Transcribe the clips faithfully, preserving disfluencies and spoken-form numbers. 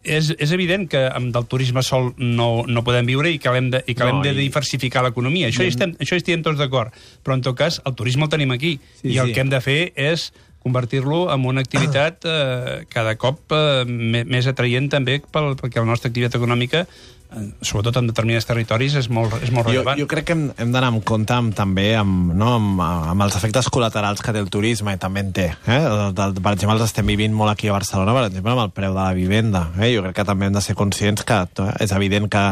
és, és evident que amb del turisme sol no, no podem viure i que hem de, i que hem No, de i- diversificar l'economia. Això, hi estem, això hi estem tots d'acord. Però, en tot cas, el turisme el tenim aquí. Sí, I el sí. que hem de fer és convertir-lo en una activitat eh, cada cop eh, més atraient també pel, perquè la nostra activitat econòmica, eh, sobretot en determinats territoris, és molt, és molt Jo, rellevant. jo crec que hem, hem d'anar amb compte amb, també amb, no, amb, amb els efectes col·laterals que té el turisme, i també en té. Eh? El, el, per exemple, els estem vivint molt aquí a Barcelona, per exemple, amb el preu de la vivenda. Eh? Jo crec que també hem de ser conscients que eh, és evident que,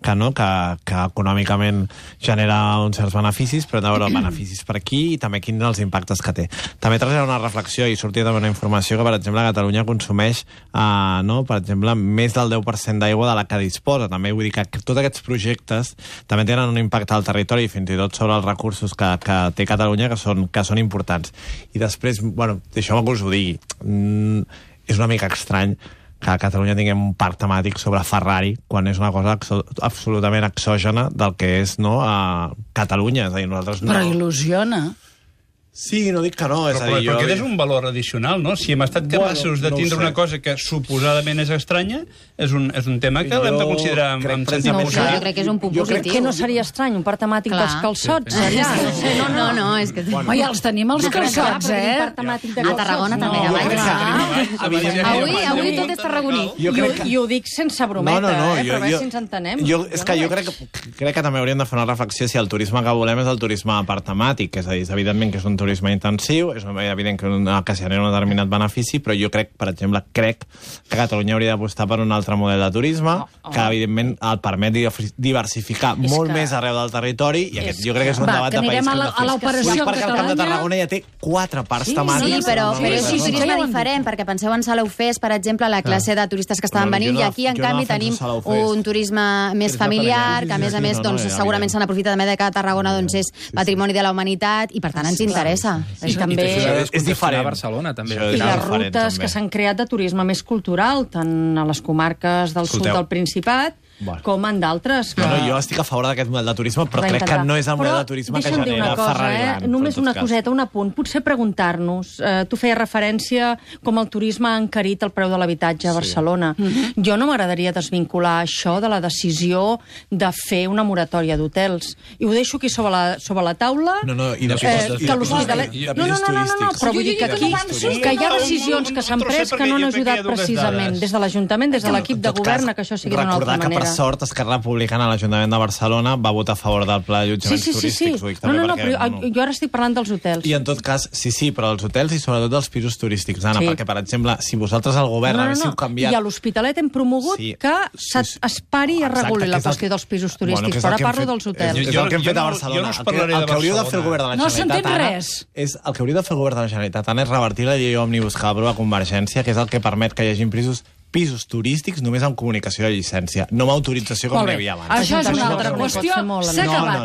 que, no, que, que econòmicament genera uns certs beneficis, però hem de veure beneficis per aquí i també quins els impactes que té. També traslladar una reflexió, i sortia també una informació que, per exemple, Catalunya consumeix, eh, no, per exemple, més del deu per cent d'aigua de la que disposa. També vull dir que tots aquests projectes també tenen un impacte al territori i fins i tot sobre els recursos que, que té Catalunya, que són, que són importants. I després, bueno, deixeu-me que us ho digui, mm, és una mica estrany que a Catalunya tinguem un parc temàtic sobre Ferrari, quan és una cosa exo absolutament exògena del que és, no, a Catalunya. És a dir, nosaltres no... Però il·lusiona. Sí, no dic que no, és Però, a dir, però jo... aquest és un valor addicional, no? Si hem estat capaços Bueno, de no ho tindre sé. una cosa que suposadament és estranya, és un, és un tema que Jo l'hem de considerar amb, crec amb que- sentit No ho sé, positiu. Jo crec que és un punt Jo crec positiu. Que no seria estrany, un parc temàtic Clar. dels calçots, Sí, sí. allà. No, sé, no, no, no, és que... Home, ja els tenim, els calçots, eh? A Tarragona també, No, a jo crec Valls. que- evidentment- Avui, avui tot és tarragoní. Jo I, crec ho, que... I ho dic sense brometa, no, no, no, eh? jo, Però a veure jo, si ens entenem. Jo, és que no jo veig. crec que, crec que també hauríem de fer una reflexió si el turisme que volem és el turisme per temàtic, és a dir, és evidentment que és un turisme intensiu, és evident que, una, que genera un determinat benefici, però jo crec, per exemple, crec que Catalunya hauria d'apostar per un altre model de turisme, Oh, oh. que evidentment el permet diversificar És molt que- més arreu del territori, i aquest és jo crec que és un Va, debat que de país anirem que a hem la- de fer. a l'operació Ho dic perquè el Camp de Catalunya- Tarragona ja té quatre parcs Sí, temàtics. Sí, però, Sí, però és sí, un sí, turisme ja ho han dit. diferent, perquè penseu en Salou Fest, per exemple, la classe de turistes que estaven No, jo venint, no- i aquí, en jo no canvi, defenso tenim Salou Fest. un turisme més Turisme familiar, familiar. que a més a Sí, més, sí, no, no, doncs, ja, segurament evident. se n'aprofita també de que Tarragona doncs, és patrimoni de la humanitat, i per tant ens interessa. I també... És- és diferent. A Barcelona, també. Això I és les diferent, rutes també. que s'han creat de turisme més cultural, tant a les comarques del sud Escolteu. del Principat Bueno. com en d'altres. Que... No, no, jo estic a favor d'aquest model de turisme, però Va crec que intentar. no és el model Però de turisme que deixa'm dir genera una cosa, Ferrari eh? Land. Només però en una tot cas. coseta, un apunt. Potser preguntar-nos, eh, tu feies referència com el turisme ha encarit el preu de l'habitatge a Barcelona. Jo no m'agradaria desvincular això de la decisió de fer una moratòria d'hotels. I ho deixo aquí sobre la, sobre la taula. No, no, i de eh, pisos- i que de l'Hospitalet... pisos- No, no, no, no, no, no, però vull dir que aquí que hi ha decisions que s'han pres que no han ajudat precisament des de l'Ajuntament, des de l'equip de En tot govern, cas, que això sigui d'una altra recordar que, manera. per sort, Esquerra Republicana a l'Ajuntament de Barcelona va votar a favor del pla Sí, d'allotjaments sí, sí, sí. turístics. Ho dic No, també no, no, perquè, però jo ara estic parlant dels hotels. I en tot cas, sí, sí, però els hotels i sobretot els pisos turístics, Anna, Sí. perquè, per exemple, si vosaltres al govern haguéssiu canviat... I a l'Hospitalet hem promogut Sí. que Sí, sí. es pari i es Exacte, reguli que la és el qüestió que- dels pisos Bueno, turístics, que és però el ara que hem parlo fet- dels És, hotels. és Jo- el que hem jo fet a no- Barcelona. jo no us El que- parlaré de el que hauria de fer el Barcelona. govern de la No Generalitat, s'entén Anna, res. és el que hauria de fer el govern de la Generalitat, Anna, és revertir la llei òmnibus que va aprovar Convergència, que és el que permet que hi hagi pisos pisos turístics només amb comunicació de llicència, no amb autorització com Molt n'hi bé. havia abans. Això és una Ajuntament altra no pot qüestió. fer molt, S'ha no, acabat. no,